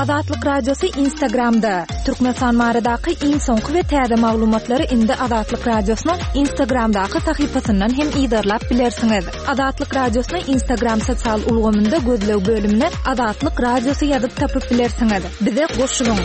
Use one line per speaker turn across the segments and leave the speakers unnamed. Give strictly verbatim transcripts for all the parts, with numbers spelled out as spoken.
Azatlyk Radiosy Instagramda. Türkmenistan baradaky iň soňky we täze maglumatlary indi Azatlyk Radiosynyň Instagramdaky sahypasyndan hem yzarlap bilersiňiz. Azatlyk Radiosyny Instagram sosial ulgamynda gözleg bölümine Azatlyk Radiosy ýazyp tapyp bilersiňiz. Bize goşulyň.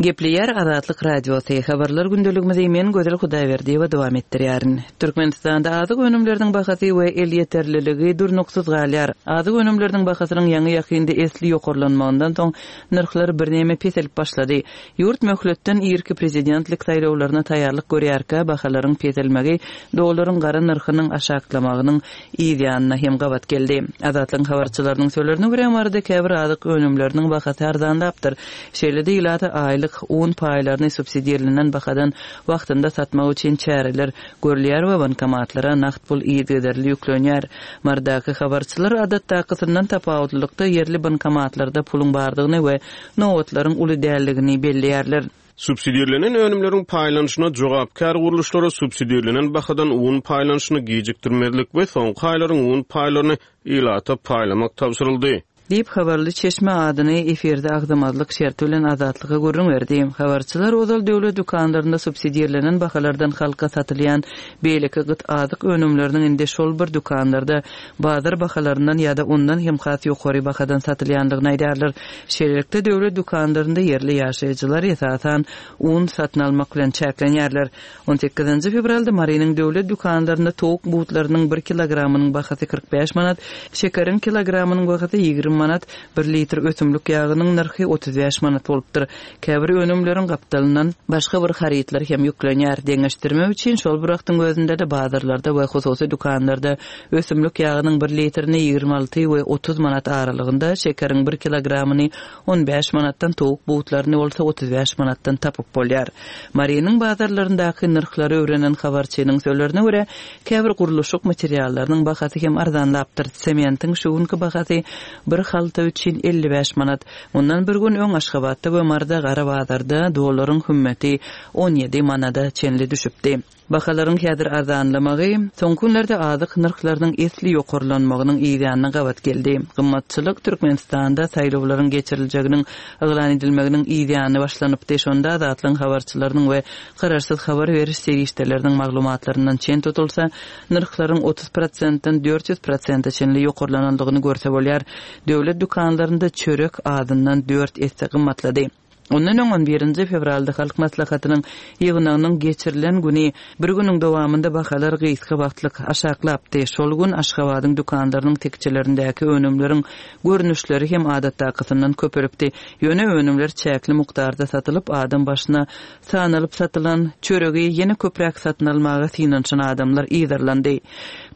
Gepleýär Azatlyk Radiosy. Habarlar gündeligimizi men Gözel Hudaýberdiýewa dowam etdirýärin. Türkmenistanda azyk önümleriniň bahasy we elýeterliligi durnuksyz galýar. Azyk önümleriniň bahasynyň ýaňy ýakynda esli ýokarlanmagyndan soň nyrhlar birneme peselip başlady. Ýurt möhletden irki prezidentlik saýlawlaryna taýýarlyk görýärkä bahalaryň peselmegi dollaryň gara nyrhynyň aşaklamagynyň yz ýanyna hem gabat geldi. Azatlygyň habarçylarynyň sözlerine görä Maryda käbir azyk önümleriniň bahasy arzanlapdyr. Şeýle-de ilata aýlyk un paýlaryny subsidirlenen bahadan wagtynda satmak üçin çäreler görülýär we bankomatlara nagt pul yzygiderli ýüklenýär. Marydaky habarçylar adatdakysyndan tapawutlylykda ýerli bankomatlarda puluň bardygyny we nobatlaryň uly däldigini belleýärler.
Subsidirlenen önümleriň paýlanyşyna jogapkär gurluşlara subsidirlenen bahadan un paýlanyşyny gijikdirmezlik we soňky aýlaryň un paýlaryny ilata paýlamak tabşyryldy.
Diýip habarly çeşme adyny efirde agzamazlyk şerti bilen Azatlyga gürrüň berdi. Habarçylar ozal döwlet dükanlarynda subsidirlenen bahalardan halka satylýan beýleki gyt azyk önümleriniň indi şol bir dükanlarda bazar bahalaryndan ýa-da ondan hem has ýokary bahadan satylýandygyny aýdýarlar. Şeýlelikde döwlet dükanlarynda ýerli ýaşaýjylar esasan un satyn almak bilen çäklenýärler. On sekizinji fewralda Marynyň döwlet dükanlarynda towuk butlarynyň bir kilogramynyň bahasy kyrk bäş manat, şekeriň kilogramynyň bahasy ýigrimi manat, bir litr ösümlik ýagynyň nyrhy otuz bäş manat bolupdyr. Käbir önümleriň gapdalyndan başga bir harytlar hem ýüklenýär. Deňeşdirmek üçin şol bir wagtyň özünde-de bazarlarda we hususy dükanlarda ösümlik ýagynyň bir litrini ýigrimi alty we otuz manat aralygynda, şekeriň bir kilogramyny on bäş manatdan, towuk butlaryny bolsa otuz bäş manatdan tapyp bolýar. Marynyň bazarlaryndaky nyrhlary öwrenen habarçynyň sözlerine görä, käbir gurluşyk materiallarynyň bahasy hem arzanlapdyr. Sementiň şu günki bahasy bir halta üçin elli bäş manat. Mundan bir gün öň Aşgabatda we Maryda gara bazarda dollaryň hümmeti on ýedi manada çenli düşüpdi. Bahalaryň häzir arzanlamagy soňky günlerde azyk nyrhlarynyň esli ýokarlanmagynyň yz ýanyna gabat geldi. Gymmatçylyk Türkmenistanda saýlawlaryň geçiriljeginiň yglan edilmeginiň yz ýany başlanypdy. Şonda Azatlygyň habarçylarynyň we garaşsyz habar beriş serişdeleriniň maglumatlaryndan çen tutulsa, nyrhlaryň otuz prosentden dört ýüz prosente çenli ýokarlanandygyny görse bolýar. Döwlet dükanlarynda çörek azyndan dört esse gymmatlady. Ondan öň on birinji fewralda Halk Maslahatynyň ýygnagynyň geçirilen güni bir günüň dowamynda bahalar gysga wagtlyk aşaklapdy. Şol gün Aşgabadyň dükanlarynyň tekjelerindäki önümleriň görnüşleri hem adatdakysyndan köpelipdi. Ýöne önümler çäkli mukdarda satylyp, adam başyna sanalyp satylan çöregi ýene köpräk satyn almaga synanyşan adamlar yzarlandy.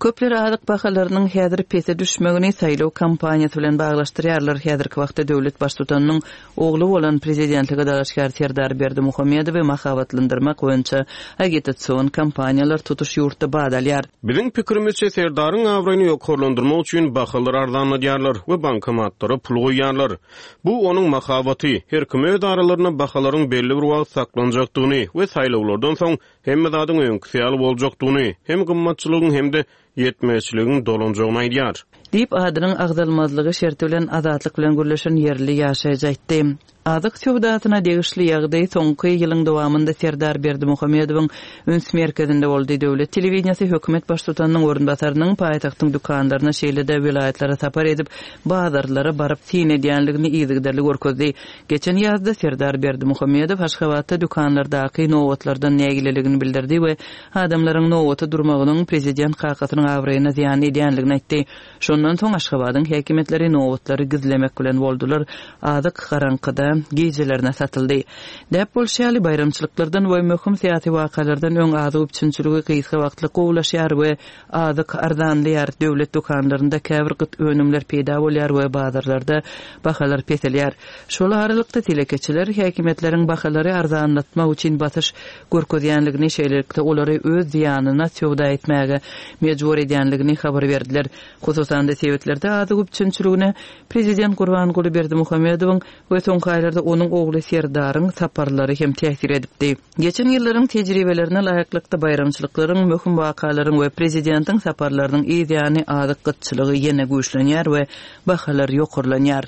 Köpler azyk bahalarynyň häzir pese düşmegini saýlaw kampaniýasy bilen baglaşdyrýarlar. Häzirki wagtda döwlet baştutanynyň ogly bolan prezidentlige dalaşgär Serdar Berdimuhamedowy mahabatlandyrmak boýunça agitasion kampaniýalar tutuş ýurtda bad alýar.
Biziň pikirimizçe Serdaryň abraýyny ýokarlandyrmak üçin bahalar arzanladýarlar we bankomatlara pul goýýarlar. Bu onuň mahabaty. Her kim öz aralarynda bahalaryň belli bir wagt saklanjakdygyny we saýlawlardan soň hemme zadyň öňküsi ýaly boljakdygyny, hem gymmatçylygyň hem-de ýetmezçiligiň dolanjagyny aýdýar.
Diýip adynyň agzalmazlygy şerti bilen Azatlyk bilen gürleşen ýerli ýaşaýjy aýtdy. Azyk söwdasyna degişli ýagdaý soňky ýylyň dowamynda Serdar Berdimuhamedowyň üns merkezinde boldy. Döwlet telewideniýesi hökümet baştutanynyň orunbasarynyň paýtagtyň dükanlaryna şeýle-de welaýatlara sapar edip, bazarlara baryp syn edýänligini yzygiderli görkezdi. Geçen ýazda Serdar Berdimuhamedow Aşgabatda dükanlardaky nobatlardan nägileligini bildirdi we adamlaryň nobata durmagynyň prezident kakasynyň abraýyna zyýan edýänligini aýtdy. Şondan soň Aşgabadyň häkimiýetleri nobatlary gizlemek bilen boldular. Azyk garaňkyda gijelerine satyldy. Däp bolşy ýaly baýramçylyklardan we möhüm syýasy wakalardan öň azyk üpjünçiligi gysga wagtlyk gowulaşýar we azyk arzanlaýar. Döwlet dükanlarynda käbir gyt önümler peýda bolýar we bazarlarda bahalar peselýär. Şol aralykda telekeçiler häkimiýetleriň bahalary arzanlatmak üçin basyş görkezýänligini, şeýlelikde olary öz zyýanyna söwda etmäge mejbur edýänligini habar berdiler. Hususan-da Ýakynda sebetlerde azyk üpjünçiligine Prezident Gurbanguly Berdimuhamedowyň we soňky aýlarda onuň ogly Serdaryň saparlary hem täsir edipdi. Geçen ýyllaryň tejribelerine laýyklykda baýramçylyklaryň, möhüm wakalaryň we prezidentiň saparlarynyň ýany azyk gytçylygy ýene güýçlenýär we bahalar ýokarlanýar.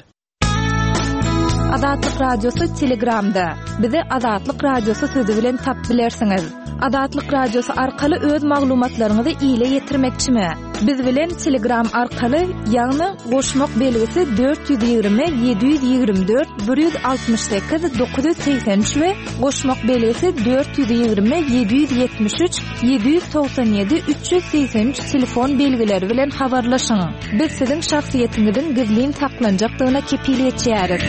Azatlyk Radiosy Telegramda. Bizi Azatlyk Radiosy sözi bilen tapyp bilersiňiz. Azatlyk Radiosy arkaly öz maglumatlaryňyzy ile ýetirmekçimi? Biz bilen Telegram arkaly, ýagny goşmak belgisi dört ýüz ýigrimi ýedi ýüz ýigrimi dört bir ýüz altmyş sekiz dokuz ýüz segsen üç we goşmak belgisi dört ýüz ýigrimi ýedi ýüz ýetmiş üç ýedi ýüz togsan ýedi üç ýüz segsen üç telefon belgileri bilen habarlaşyň. Biz siziň şahsyýetiňiziň gizlin saklanjakdygyna kepil geçýäris.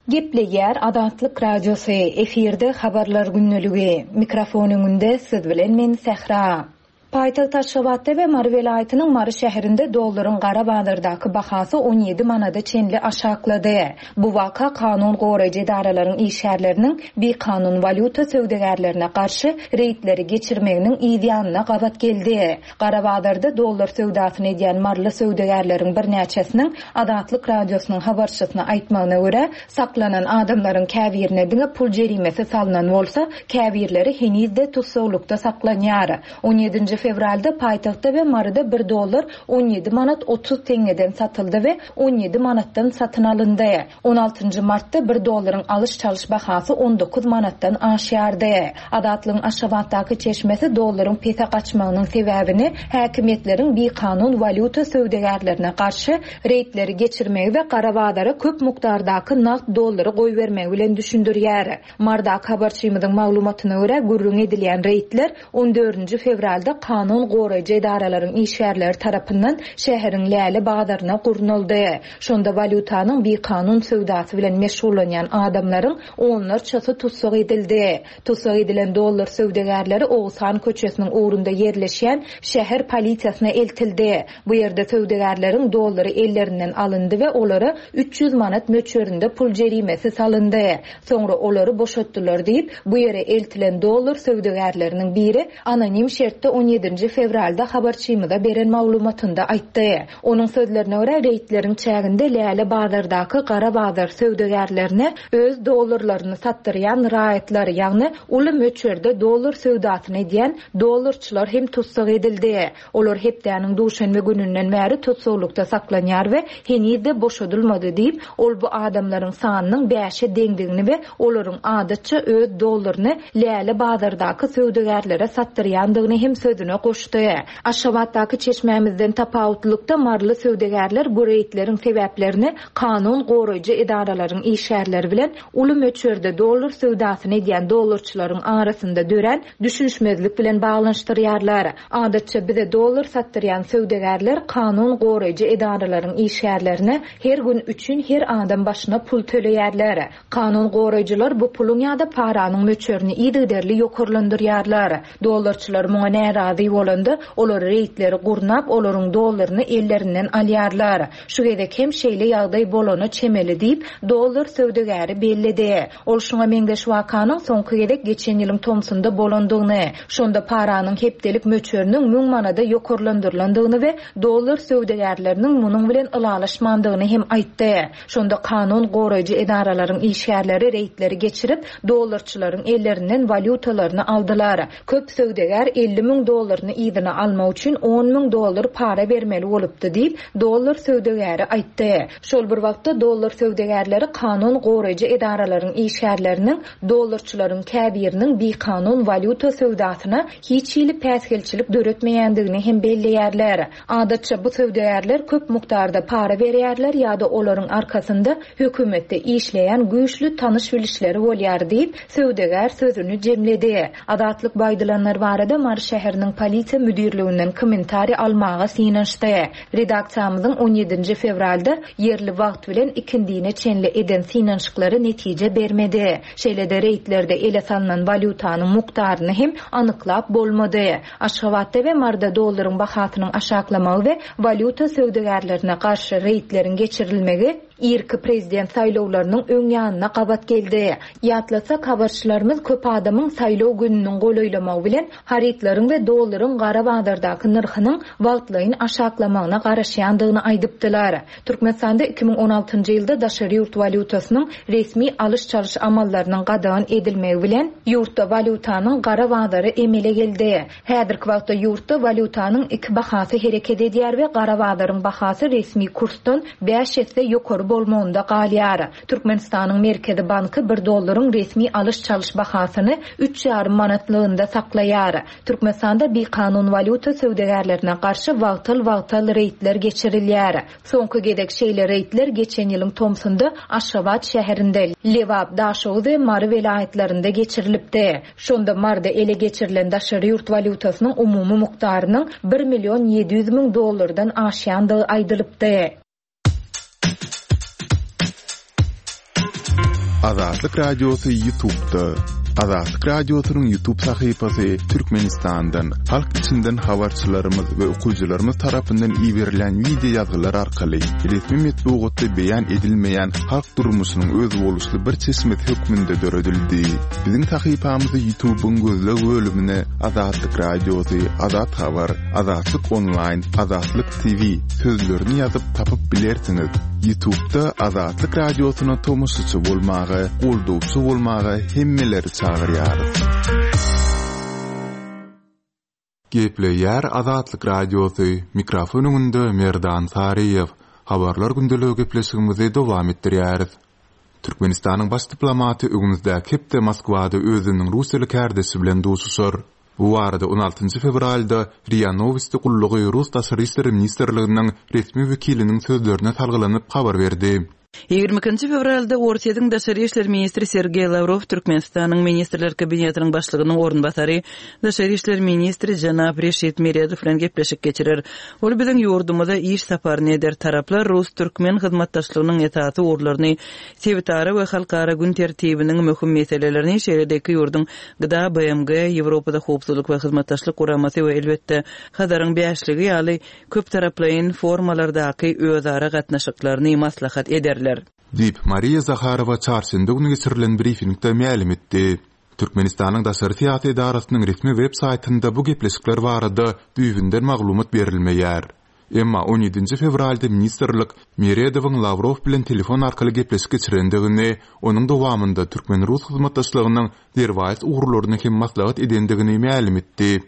Gepleýär Azatlyk Radiosy, efirde habarlar günlügi. Mikrofon öňünde siz bilen men Sähra. Paýtagt Aşgabatda we Mary welaýatynyň Mary şäherinde dollaryň gara bazardaky bahasy on ýedi manada çenli aşaklady. Bu waka kanun goraýjy edaralaryň işgärleriniň bikanun walýuta söwdagärlerine garşy reýdleri geçirmeginiň ýanyna gabat geldi. Gara bazarda dollar söwdasyny edýän maryly söwdagärleriň birnäçesiniň Azatlyk Radiosynyň habarçysyna aýtmagyna görä, saklanan adamlaryň käbirine diňe pul jerimesi salynan bolsa, käbirleri henizde tussaglykda saklanýar. on ýedinji fewralda paýtagtda we Maryda bir dollar on ýedi manat otuz teňňeden satyldy we on ýedi manatdan satyn alyndy. on altynjy martda bir dollaryň alyş-çalyş bahasy on dokuz manatdan aşýardy. Azatlygyň Aşgabatdaky çeşmesi dollaryň pese gaçmagynyň sebäbini häkimiýetleriň bikanun walýuta söwdagärlerine garşy reýdleri geçirmegi we gara bazara köp mukdardaky nagt dollary goýbermegi bilen düşündirýär. Mardaky habarçymyzyň maglumatyna görä gürrüň edilýän reýdler on dördünji fewralda kanun goraýjy edaralaryň işgärleri tarapyndan şäheriň Läle bazaryna gurnaldy. Şonda walýutanyň bikanun söwdasy bilen meşgullanýan adamlaryň onlarçasy tussag edildi. Tussag edilen dollar söwdagärleri Oguzhan köçesiniň ugrunda ýerleşýän şäher polisiýasyna eltildi. Bu ýerde söwdagärleriň dollary ellerinden alyndy we olara üç ýüz manat möçberinde pul jerimesi salyndy. Soňra olary boşatdylar diýip, bu ýere eltilen dollar söwdagärleriniň biri anonim şertde on ýedinji fewralda habarçymyza beren maglumatynda aýtdy. Onuň sözlerine görä reýdleriň çäginde Läle bazardaky gara bazar söwdagärlerine öz dollarlaryny satdyrýan raýatlar, ýagny uly möçberde dollar söwdasyny edýän dollarçylar hem tussag edildi. Olar hepdäniň duşenbe gününden bäri tussaglykda saklanýar we henizde boşadylmady diýip, ol bu adamlaryň sanynyň bäşe deňdigini we olaryň adatça öz dollaryny Läle bazardaky söwdagärlere satdyrýandygyny hem sözüne goşdy. Aşgabatdaky çeşmämizden tapawutlykda maryly söwdagärler bu reýdleriň sebäplerini kanun goraýjy edaralaryň işgärleri bilen uly möçberde dollar söwdasyny edýän dollarçylaryň arasynda dörän düşünişmezlik bilen baglanyşdyrýarlar. Adatça bize dollar satdyrýan söwdagärler kanun goraýjy edaralaryň işgärlerine her gün üçin her adam başyna pul töleýärler. Kanun goraýjylar bu puluň ýa-da paranyň möçberini yzygiderli ýokarlandyrýarlar. Dollarçylar muňa närazy bolanda, olar reýdleri gurnap, olaryň dollaryny ellerinden alýarlar. Şu gezek hem şeýle ýagdaý bolana çemeli diýip, dollar söwdagäri belledi. Ol şuňa meňzeş wakanyň soňky gezek geçen ýylyň tomsunda bolandygyny, şonda paranyň hepdelik möçberiniň müň manada ýokarlandyrylandygyny we dollar söwdagärleriniň munuň bilen ylalaşmandygyny hem aýtdy. Şonda kanun goraýjy edaralaryň işgärleri reýdleri geçirip, dollarçylaryň ellerinden walýutalaryny aldylar. Köp söwdagär elli müň dollaryny yzyna almak üçin on müň dollar para bermeli bolupdy diýip, dollar söwdagäri aýtdy. Şol bir wagtda dollar söwdagärleri kanun goraýjy edaralaryň işgärleriniň dollarçylaryň käbiriniň bikanun walýuta söwdasyna hiç hili päsgelçilik döretmeýändigini hem belleýärler. Adatça bu söwdagärler köp mukdarda para berýärler ýa-da olaryň arkasynda hökümetde işleýän güýçli tanyş bilişleri bolýar diýip, söwdagär sözüni jemledi. Azatlyk baýdylanlar barada Mary şäheriniň polisiýa müdirliginden kommentariý almaga synanyşdy. Redaksiýamyzyň on ýedinji fewralda ýerli wagt bilen ikindine çenli eden synanyşyklary netije bermedi. Şeýle-de reýdlerde ele salynan walýutanyň mukdaryny hem anyklap bolmady. Aşgabatda we Maryda dollaryň bahasynyň aşaklamagy we walýuta söwdagärlerine garşy reýdleriň geçirilmegi irki prezident saýlawlarynyň öň ýanyna gabat geldi. Ýatlasak, habarçylarymyz köp adamyň saýlaw gününiň golaýlamagy bilen harytlaryň we dollaryň gara bazardaky nyrhynyň wagtlaýyn aşaklamagyna garaşýandygyny aýdypdylar. Türkmenistanda iki müň on altynjy ýylda daşary ýurt walýutasynyň resmi alyş-çalyş amallarynyň gadagan edilmegi bilen ýurtda walýutanyň gara bazary emele geldi. Häzirki wagtda ýurtda walýutanyň iki bahasy hereket edýär we gara bazaryň bahasy resmi kursdan bäş esse ýokary bolmagynda galýar. Türkmenistanyň Merkezi banky bir dollaryň resmi alyş-çalyş bahasyny üç ýarym manatlygynda saklaýar. Türkmenistanda bikanun walýuta söwdagärlerine garşy wagtal-wagtal reýdler geçirilýär. Soňky gezek şeýle reýdler geçen ýylyň tomsunda Aşgabat şäherinde, Lebap, Daşoguz we Mary welaýatlarynda geçirilipdi. Şonda Marda ele geçirilen daşary ýurt walýutasynyň umumy mukdarynyň bir million ýedi ýüz müň dollardan aşýandygy aýdylypdy.
Azatlyk Radiosy YouTube'da. Azatlyk Radiosynyň YouTube sahypasy Türkmenistandan, halk içinden habarçylarymyz we okyjylarymyz tarapyndan iberilen video ýazgylar arkaly resmi metbugatda beýan edilmeýän halk durmuşynyň özboluşly bir çeşmesi hökmünde döredildi. Biziň sahypamyzy YouTube'yň gözleg bölümine Azatlyk Radiosy, Azat Habar, Azatlyk Online, Azatlyk T V sözlerini ýazyp tapyp bilersiňiz. YouTube'da Azatlyk Radiosyna tomaşaçy bolmaga, goldawçy bolmaga hemmeleri çagyrýarys. Gepleýär Azatlyk Radiosy, mikrofon öňünde Merdan Saryýew. Habarlar gündeligi gepleşigimizi dowam etdirýäris. Türkmenistanyň baş diplomaty öňümizdäki hepde Moskwada özüniň Russiýaly kärdeşi bilen duşuşar. Bu barada on altynjy fewralda R I A Novosti gullugy Rus Daşary işler ministrliginiň resmi wekiliniň sözlerine salgylanyp habar berdi.
Ýigrimi ikinji fewralda Orsýetiň Daşary işler ministri Sergeý Lavrov Türkmenistanyň Ministrler Kabinetiniň başlygynyň orunbasary Daşary işler ministri Jenap Reşit Meredow bilen gepleşik geçirer. Ol biziň ýurdumyza iş saparyny eder. Taraplar Rus-Türkmen hyzmatdaşlygynyň esasy ugurlaryny, sebitara we halkara gün tertibiniň möhüm meselelerini, şeýle-de iki ýurduň G D A, B M G, Ýewropada howpsuzlyk we hyzmatdaşlyk guramasy we elbetde Hazaryň bäşligi ýaly köp taraplaýyn formalardaky özara gatnaşyklaryny maslahat ederler.
Diýip Mariýa Zaharowa çarşenbe günü geçirilen briefingde mälim etdi. Türkmenistanyň daşary syýasy edarasynyň resmi web saýtynda bu gepleşikler barada düýbünden maglumat berilmeýär. Emma on ýedinji fewralda ministrlik Meredowyň Lavrov bilen telefon arkaly gepleşik geçirendigini, onuň dowamynda türkmen-rus hyzmatdaşlygynyň derwaýys ugurlaryny hem maslahat edendigini mälim etdi.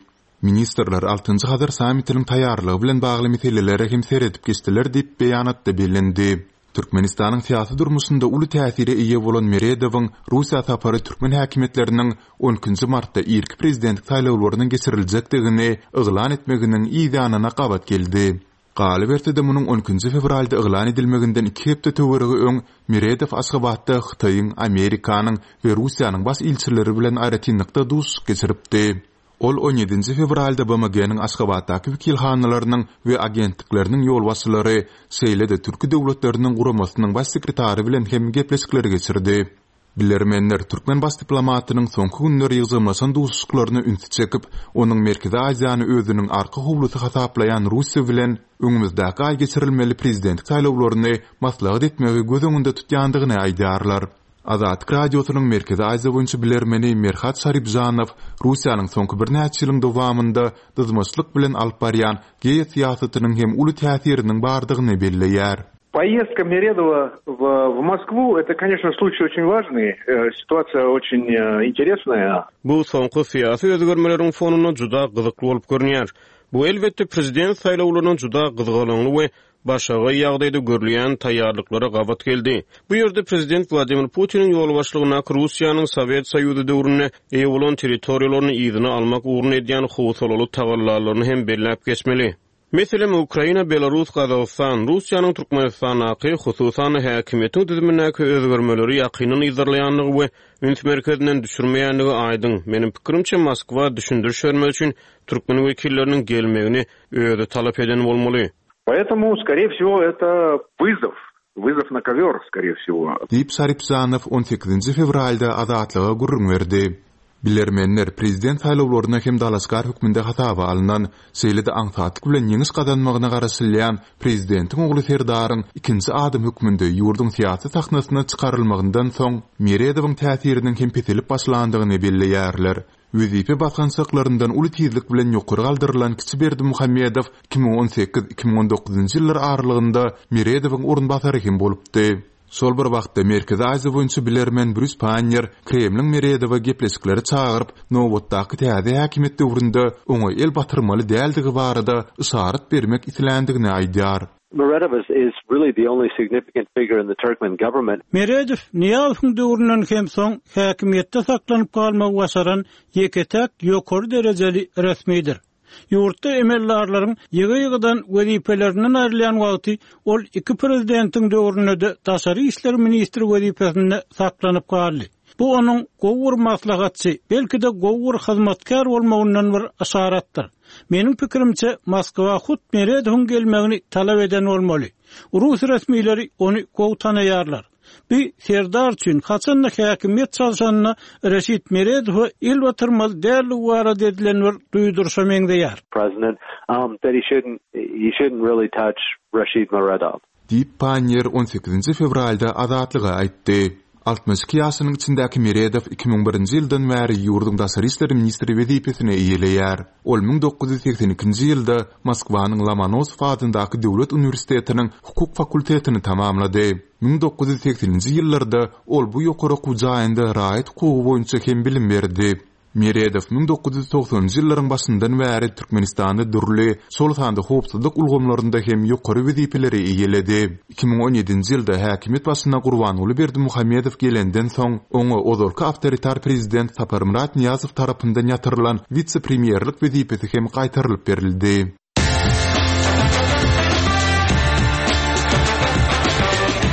Ministrler altynjy Hazar sammitiniň taýýarlygy bilen bagly meselelere hem seredip geçdiler diýip beýanatda bellendi. Türkmenistanyň syýasy durmuşynda uly täsire eýe bolan Meredowyň Russiýa sapary türkmen häkimiýetleriniň on ikinji martda irki prezident saýlawlarynyň geçiriljekdigini yglan etmeginiň yz ýanyna gabat geldi. Galyberse-de munuň on ikinji fewralda yglan edilmeginden iki hepde töweregi öň Meredow Aşgabatda Hytaýyň, Amerikanyň we Russiýanyň baş ilçileri bilen aýratynlykda duşuşyk geçiripdi. Ol on ýedinji fewralda B M G-niň Aşgabatdaky wekilhanalarynyň we agentlikleriniň ýolbaşçylary, şeýle-de Türki döwletleriniň guramasynyň baş sekretary bilen hem gepleşikleri geçirdi. Bilermenler türkmen baş diplomatynyň soňky günler ýygjamlaşan duşuşyklaryna ünsi çekip, onuň Merkezi Aziýany özüniň arka howlusy hasaplaýan Russiýa bilen öňümizdäki aý geçirilmeli prezident saýlawlaryny maslahat etmegi göz öňünde tutýandygyny aýdýarlar. Azatlyk Radiosynyň Merkezi Aziýa boýunça bilermeni Merhat Şaripjanow Russiýanyň soňky birnäçe ýylyň dowamynda dyzmaçlyk bilen alyp barýan geosyýasatynyň hem uly täsiriniň bardygyny belleýär.
Поездка Meredowa в, в Москву, это, конечно, случай очень важный, э, ситуация очень, э, интересная.
Bu soňky syýasy özgermeleriň fonunda juda gyzykly bolup görünýär. Bu elbetde prezident saýlawlarynyň juda gyzgalaňly we başaga ýagdaýda görülýän taýýarlyklara gabat geldi. Bu ýerde prezident Wladimir Putiniň ýolbaşçylygyndaky Russiýanyň Sowet Soýuzy döwründe eýe bolan territoriýalaryny yzyna almak ugrunda edýän howsalaly tagallalaryny hem belläp geçmeli. Meselem, Ukraina, Belarus, Gazagystan, Russiýanyň Türkmenistandaky, hususan häkimiýetiň düzümindäki özgermeleri ýakyndan yzarlaýandygy we üns merkezinden düşürmeýändigi aýdyň. Meniň pikirimçe, Moskwa düşündiriş bermek üçin türkmen wekilleriniň gelmegini özi talap eden bolmaly.
Поэтому, скорее всего, это вызов. Вызов на ковер, скорее всего.
Diýip Şaripjanow on sekizinji fewralda Azatlyga gürrüň berdi. Bilermenler prezident saýlawlaryna hem dalaşgär hökmünde hasaba alnan, şeýle-de aňsatlyk bilen ýeňiş gazanmagyna garaşylýan prezidentiň ogly Serdaryň ikinji adam hökmünde ýurduň syýasy sahnasyna çykarylmagyndan soň Meredowyň täsiriniň hem peselip başlandygyny belleýärler. Wezipe basgançaklaryndan uly tizlik bilen ýokary galdyrylan kiçi Berdimuhamedow iki müň on sekiz iki müň on dokuzynjy ýyllar aralygynda Meredowyň orunbasary hem bolupdy. Şol bir wagtda Merkezi Aziýa boýunça bilermen Brýus Pannier Kremliň Meredowa gepleşikleri çagyryp, nobatdaky täze häkimiýet döwründe oňa el batyrmaly däldigi barada yşarat bermek isländigini aýdýar.
Meredow is, is really the only significant figure in the Turkmen government.
Meredow Nyýazowyň döwründen hem soň häkimiýetde saklanyp galmagy başaran ýeke-täk ýokary derejeli resmidir. Ýurtda emeldarlaryň ýygy-ýygydan wezipelerinden aýrylýan wagty ol iki prezidentiň döwründe-de daşary işler ministri wezipesinde saklanyp galdy. Bu onuň gowy bir maslahatçy, belki-de gowy bir hyzmatkär bolmagyndan bir yşaratdyr. Meniň pikirimçe, Moskwa hut Meredowyň gelmegini talap eden bolmaly. Rus resmileri ony gowy tanaýarlar. Bir Serdar üçin haçanda häkimiýet çalşanyna Reşit Meredowa el batyrmaly däldigi barada edilen bir duýduryşa meňzeýär.
President, um, that he shouldn't, he shouldn't really touch Rashid Meredov.
Diýip, Pannier on sekizinji fewralda Azatlyga aýtdy. Altmyş iki ýaşynyň içindäki Meredow iki müň birinji ýyldan bäri ýurduň daşary işler ministri wezipesini eýeleýär. Ol müň dokuz ýüz segsen ikinji ýylda Moskwanyň Lomonosow adyndaky döwlet uniwersitetiniň hukuk fakultetini tamamlady. Müň dokuz ýüz segseninji ýyllarda ol bu ýokary okuw jaýynda raýat hukugy boýunça hem bilim berdi. Meredow müň dokuz ýüz togsanynjy ýyllaryň başyndan bäri Türkmenistanda dürli, şol sanda howpsuzlyk ulgamlarynda hem ýokary wezipeleri eýeledi. Iki müň on ýedinji ýylda häkimiýet başyna Gurbanguly Berdimuhamedow gelenden soň, oňa ozalky awtoritar prezident Saparmyrat Nyýazow tarapyndan ýatyrylan wise-premýerlik wezipesi hem gaýtarylyp berildi.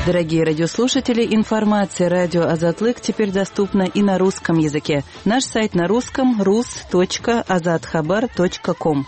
Дорогие радиослушатели, информация радио Азатлык теперь доступна и на русском языке. Наш сайт на русском рус точка азатхабар точка ком.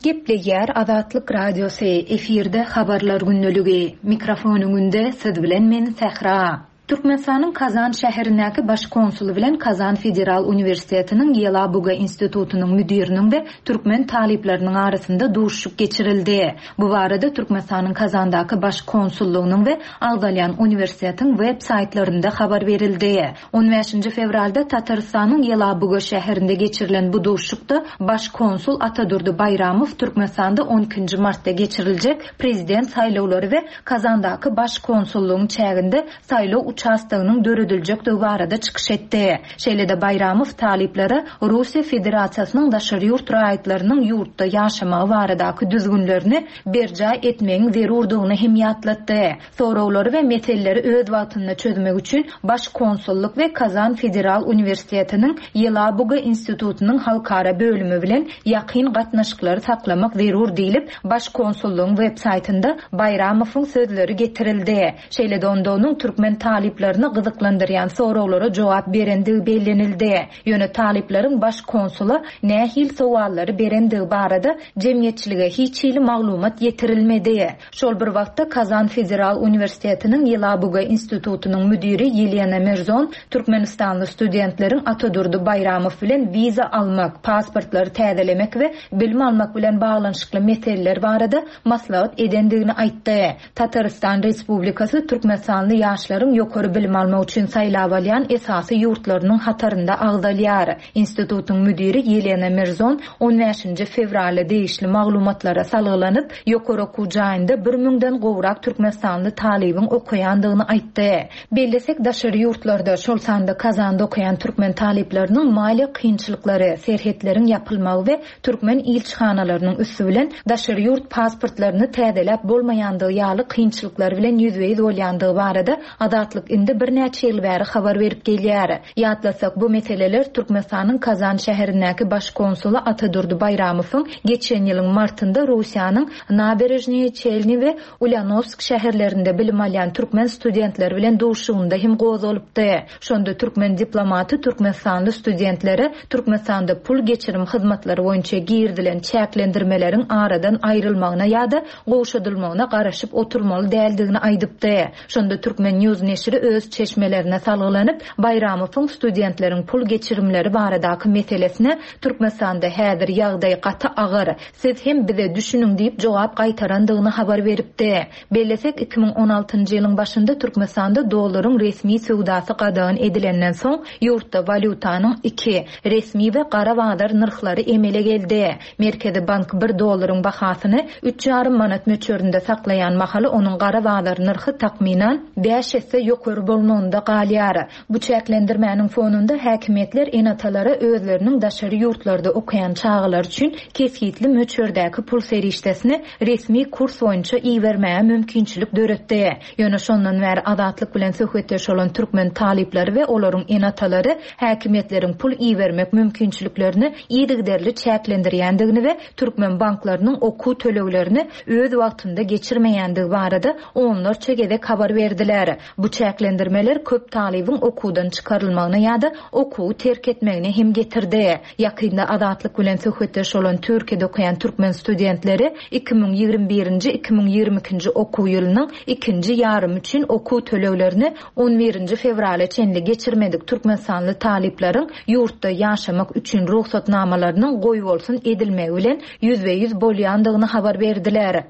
Gepleýär Azatlyk Radiosy, efirde habarlar gündeligi. Mikrofon öňünde siz bilen men Sähra. Türkmenistanyň Kazan şäherindäki baş konsuly bilen Kazan Federal Uniwersitetiniň Ýelabuga institutynyň müdiriniň we türkmen talyplarynyň arasynda duşuşyk geçirildi. Bu barada Türkmenistanyň Kazandaky baş konsullygynyň we agzalýan uniwersitetiň web saýtlarynda habar berildi. On bäşinji fewralda Tatarystanyň Ýelabuga şäherinde geçirilen bu duşuşykda baş konsul Atadurdy Baýramow Türkmenistanda on ikinji martda geçiriljek prezident saýlawlary we Kazandaky baş konsullygyň çäginde saýlaw uçastogynyň dörediljekdigi barada çykyş etdi. Şeýle-de Baýramow talyplara Russiýa Federasiýasynyň daşary ýurt raýatlarynyň ýurtda ýaşamagy baradaky düzgünlerini berjaý etmegiň zerurdygyny hem ýatlatdy. Sorawlary we meseleleri öz wagtynda çözmek üçin Baş konsullyk we Kazan Federal Uniwersitetiniň Ýelabuga institutynyň halkara bölümi bilen ýakyn gatnaşyklary saklamak zerur diýlip, Baş konsullygyň web saýtynda Baýramowyň sözleri getirildi. Şeýle-de onda onuň türkmen talyplaryny gyzyklandyrýan sorawlara jogap berendigi bellenildi. Ýöne talyplaryň baş konsula nähil sowallary berendigi barada jemgyýetçilige hiç hili maglumat ýetirilmedi. Şol bir wagtda Kazan Federal Uniwersitetiniň Ýelabuga institutynyň müdiri Ýelena Mirzon Türkmenistanly studentleriň Atadurdy Baýramow bilen wiza almak, pasportlary täzelemek we bilim almak bilen baglanyşykly meseleler barada maslahat edendigini aýtdy. Tatarystan Respublikasy Türkmenistanly ýaşlaryň ýokary bilim almak üçin saýlap alýan esasy ýurtlarynyň hatarynda agzalýar. Institutyň müdiri Ýelena Mirzon on bäşinji fewralda degişli maglumatlara salgylanyp, ýokary okuw jaýynda bir müňden gowrak Türkmenistanly talybyň okaýandygyny aýtdy. Bellesek daşary ýurtlarda, şol sanda Kazanda okaýan türkmen talyplarynyň maliýe kynçylyklary, serhetleriň ýapylmagy we türkmen ilçihanalarynyň üsti bilen daşary ýurt pasportlaryny täzeläp bolmaýandygy ýaly kynçylyklar bilen ýüzbe-ýüz bolýandygy barada Azatlyk Azatlyk indi birnäçe ýyl bäri habar berip gelýär. Ýatlasak, bu meseleler Türkmenistanyň Kazan şäherindäki baş konsuly Atadurdy Baýramowyň geçen ýylyň martynda Russiýanyň Naberežnyýe Çelny we Ulýanowsk şäherlerinde bilim alýan türkmen studentleri bilen duşuşygynda hem gozgalypdy. Şonda türkmen diplomaty türkmenistanly studentlere Türkmenistanda pul geçirim hyzmatlary boýunça girizilen çäklendirmeleriň aradan aýrylmagyna ýa-da gowşadylmagyna garaşyp oturmaly däldigini aýdypdy. Şonda Turkmen News neşiri öz çeşmelerine salgylanyp, Baýramowyň studentleriň pul geçirimleri baradaky meselesine Türkmenistanda häzir ýagdaý gaty agyr, siz hem bize düşüniň diýip jogap gaýtarandygyny habar beripdi. Bellesek, iki müň on altynjy ýylyň başynda Türkmenistanda dollaryň resmi söwdasy gadagan edilenden soň ýurtda walýutanyň iki, resmi we gara bazar nyrhlary emele geldi. Merkezi bank bir dollaryň bahasyny üç ýarym manat möçberinde saklaýan mahaly onuň gara bazar nyrhy takmynan bäş esse ýokary bolmagynda galýar. Bu çäklendirmäniň fonunda häkimiýetler ene-atalara özleriniň daşary ýurtlarda okaýan çagalar üçin kesgitli möçberdäki pul serişdesini resmi kurs boýunça ibermäge mümkinçilik döretdi. Ýöne şondan bäri Azatlyk bilen söhbetdeş bolan türkmen talyplary we olaryň ene-atalary häkimiýetleriň pul ibermek mümkinçiliklerini yzygiderli çäklendirýändigini we türkmen banklarynyň okuw töleglerini öz wagtynda geçirmeýändigi barada onlarça gezek habar berdiler. Bu çäklendirmeler köp talybyň okuwdan çykarylmagyna ýa-da okuwy terk etmegine hem getirdi. Ýakynda Azatlyk bilen söhbetdeş bolan Türkiýede okaýan türkmen studentleri iki müň ýigrimi birinji iki müň ýigrimi ikinji okuw ýylynyň ikinji ýarymy üçin okuw töleglerini on birinji fewrala çenli geçirmedik türkmenistanly talyplaryň ýurtda ýaşamak üçin rugsatnamalarynyň goýbolsun edilmegi bilen ýüzbe-ýüz bolýandygyny habar berdiler.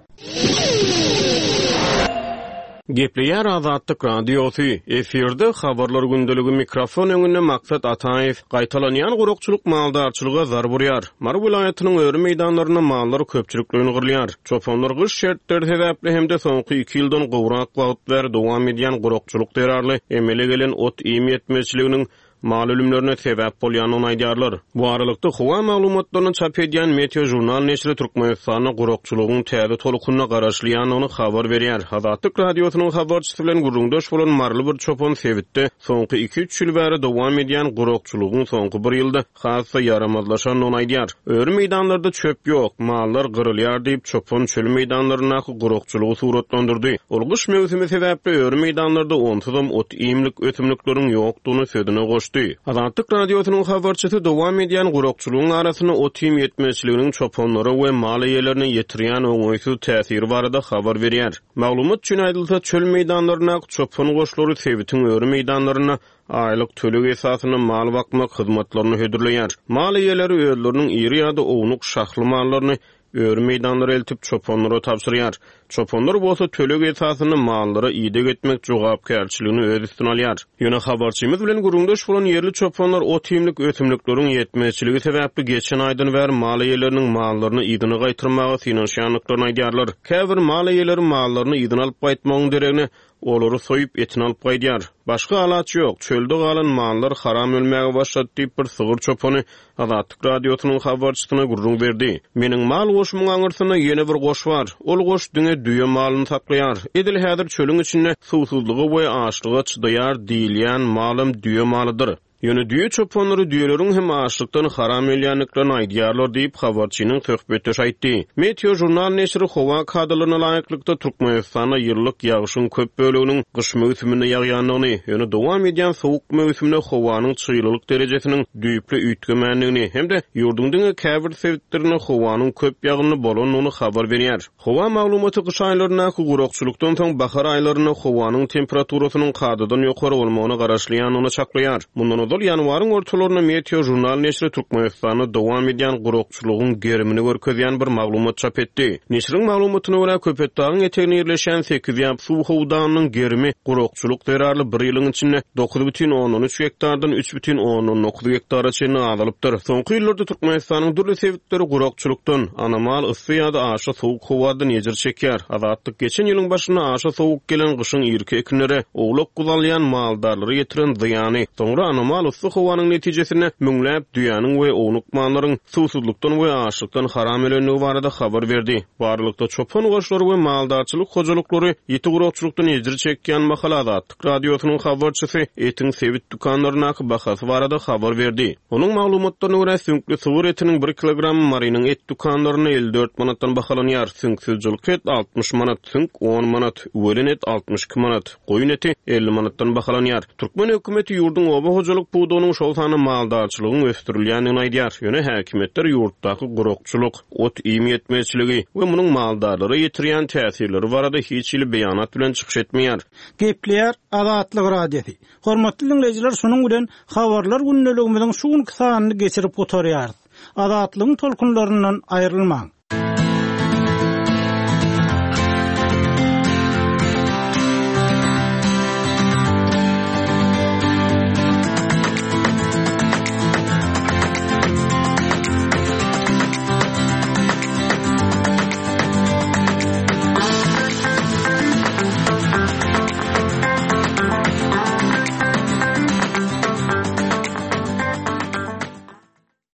Gepleýär Azatlyk Radiosy. Efirde habarlar gündeligi mikrofon öňünde Maksat Ataýew. Gaýtalanýan gurakçylyk maldarçylyga zarb urýar. Mary welaýatynyň öri meýdanlarynda mallar köpçülikleýin gyrylýar. Çopanlar gyş şertleri sebäpli hem-de soňky iki ýyldan gowrak wagt bäri dowam edýän gurakçylyk zerarly emele gelen ot-iým ýetmezçiliginiň mal ölümlerine sebäp bolýandygyny aýdýarlar. Bu aralykda howa maglumatlaryny çap edýän Meteo Jurnal neşiri Türkmenistanda gurakçylygyň täze tolkunyna garaşylýandygyny habar berýär. Azatlyk Radiosynyň habarçysy bilen gürrüňdeş bolan maryly bir çopan sebitde soňky iki-üç ýyl bäri dowam edýän gurakçylygyň soňky bir ýylda has-da ýaramazlaşandygyny aýdýar. Öri meýdanlarda çöp ýok, mallar gyrylýar diýip çopan çöl meýdanlaryndaky gurakçylygy suratlandyrdy. Ol gyş möwsümi sebäpli öri meýdanlarda onsuzam ot-iýmlik ösümlikleriň ýokdugyny sözüne goşdy. Azatlyk Radiosynyň habarçysy dowam edýän gurakçylygyň arasynda ot-iým ýetmezçiliginiň çopanlara we mal eýelerine ýetirýän oňaýsyz täsiri barada habar berýär. Maglumat üçin aýdylsa, çöl meýdanlaryndaky çopan goşlary sebitiň öri meýdanlarynda aýlyk töleg esasynda mal bakmak hyzmatlaryny hödürleýär. Mal eýeleri özleriniň iri ýa-da ownuk şahly mallaryny öri meýdanlara eltip çopanlara tabşyrýar. Çopanlar bolsa töleg esasynda mallara ideg etmek jogapkärçiligini öz üstüne alýar. Ýöne habarçymyz bilen gürrüňdeş bolan ýerli çopanlar ot-iýmlik ösümlikleriň ýetmezçiligi sebäpli geçen aýdan bäri mal eýeleriniň mallaryny yzyna gaýtyrmaga synanyşýandyklaryny aýdýarlar. Käbir mal eýeleri mallaryny yzyna alyp gaýtmagyň deregine olary soýup etini alyp gaýdýar. Başga alaç ýok, çölde galan mallar haram ölmäge başlady diýip bir sygyr çopany Azatlyk Radiosynyň habarçysyna gürrüň berdi. Meniň mal goşumyň aňyrsynda ýene bir goş bar. Ol goş diňe düýe malyny saklaýar. Edil häzir çölüň içinde suwsuzlyga we açlyga çydaýar diýilýän malam düýe malydyr. Ýöne düýe çopanlary düýeleriň hem açlykdan haram ölýändiklerini aýdýarlar diýip habarçynyň söhbetdeşi aýtdy. Meteo Jurnal neşiri howa kadalaryna laýyklykda Türkmenistanda ýyllyk ýagşyň köp böleginiň gyş möwsüminde ýagýandygyny, ýöne dowam edýän sowuk möwsümde howanyň çyglylyk derejesiniň düýpli üýtgemändigini hem-de ýurduň diňe käbir sebitlerinde howanyň köp ýagynly bolandygyny habar berýär. Howa maglumaty gyş aýlaryndaky gurakçylykdan soň bahar aýlarynda howanyň temperaturasynyň kadadan ýokary bolmagyna garaşylýandygyny çaklaýar. Mundan ozal ýanwaryň ortalarynda Meteo Jurnal neşiri Türkmenistanda dowam edýän gurakçylygyň gerimini görkezýän bir maglumat çap etdi. Neşiriň maglumatyna görä Köpetdagyň eteginde ýerleşen sekiz ýap suw howdanynyň gerimi gurakçylyk zerarly bir ýylyň içinde dokuz bütin ondan üç gektardan üç bütin ondan dokuz gektara çenli azalypdyr. Soňky ýyllarda Türkmenistanyň dürli sebitleri gurakçylykdan, anomal yssy ýa-da aşa sowuk howadan ejir çekýär. Azatlyk geçen ýylyň başynda aşa sowuk gelen gyşyň irki ekinlere owlak guzalýan maldarlara ýetiren zyýany, soňra anomal Ahmal yssy howanyň netijesinde müňläp düýäniň we ownuk mallaryň suwsuzlykdan we açlykdan haram ölendigi barada habar berdi. Bu aralykda, çopan goşlary we maldarçylyk hojalyklary ýiti gurakçylykdan ejir çekýän mahaly Azatlyk Radiosynyň habarçysy etiň sebit dükanlaryndaky bahasy barada habar berdi. Onuň maglumatlaryna görä, süňkli sygyr etiniň bir kilogramy Marynyň et dükanlarynda elli dört manatdan bahalanýar, süňksüz jylky et altmyş manat, süňk on manat, üwelen et altmyş iki manat, goýun eti elli manatdan bahalanýar. Türkmen hökümeti ýurduň oba hojalyk pudagynyň, şol sanda maldarçylygyň ösdürilýändigini aýdýar, ýöne häkimiýetler ýurtdaky gurakçylyk, ot-iým ýetmezçiligi we munuň maldarlara ýetirýän täsirleri barada hiç hili beýanat bilen çykyş etmeýär.
Gepleýär Azatlyk Radiosy. Hormatly diňleýjiler, şunuň bilen habarlar gündeligimiziň şu günki sanyny geçirip gutarýarys. Azatlygyň tolkunlaryndan aýrylmaň.